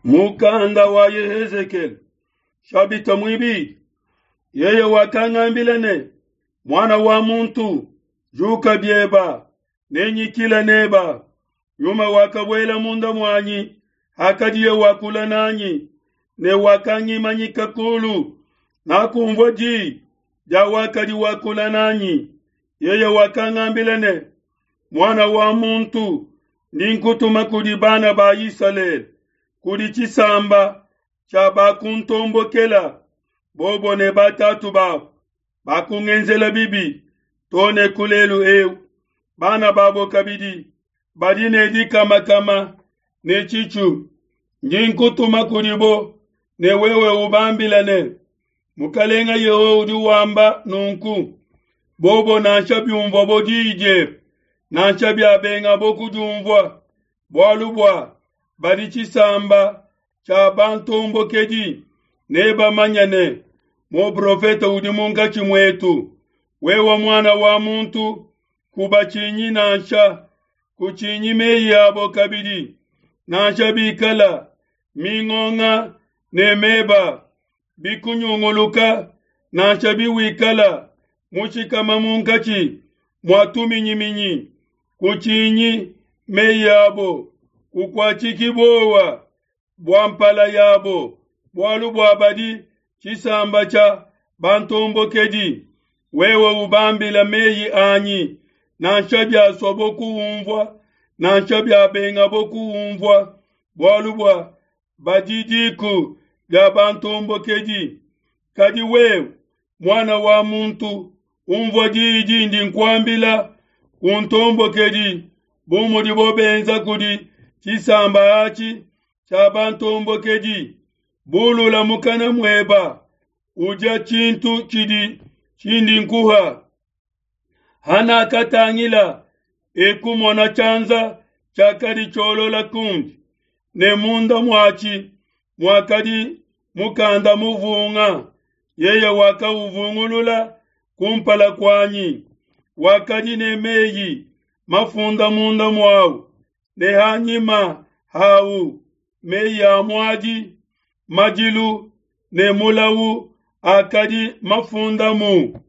Mukanda wa Yehezekele shabita muibidi. Yeye wakangambila ne, Muana wa muntu, juka bieba, nenyikila neba. Nyuma wakabuela munda muanyi hakadiye wakula nanyi, ne wakangimanyika kulu. Nakumvua di dia wakadi wakula nanyi. Yeye wakangambila ne, Muana wa muntu, ndi nkutuma kudi bana ba Isalele, kudi tshisamba tshia bakuntombokela, bobo ne batatu babo bakungenzela bibi to ne ku lelu eu. Bana babo kabidi badi ne dikamakama ne tshitshu. Ndi nkutuma kudibo ne wewe ubambila ne, Mukalenga Yehowa udi wamba nunku, bobo nansha biumvuabo diyi diebe, nansha biabengabo kudiumvua, bualu bua badi tshisamba tshia bantombokedi, nebamanye ne, muprofete udi munkatshi muetu. Wewe muana wa muntu, kubatshinyi nansha, kutshinyi meyi abo kabidi, nansha bikala mingonga ne meba bikunyunguluka, nansha biwikala mushikama munkatshi mua tuminyiminyi, kutshinyi meyi abo, kukuatshiki buowa bua mpala yabo, bualu bua badi tshisamba tshia bantombokedi. Wewe ubambila meyi anyi, nansha biasuabo kuumvua, nansha biabengabo kuumvua, bualu bua badi diku dia bantombokedi. Kadi wewe, muana wa muntu, umvua diyi dindi nkuambila, kuntombokedi bu mudibo benza kudi tshisamba atshi tshia bantombokedi. Bulula mukana mueba, udia tshintu tshidi tshindi nkuha. Hanakatangila, ekumona tshianza tshiakadi tshiolola kundi, ne munda muatshi muakadi mukanda muvunga. Yeye wakauvungulula kumpala kuanyi, wakadi ne meyi mafunda munda muawu ne hanyima hawu, meyi a muadi, madilu ne mulawu akadi mafundamu.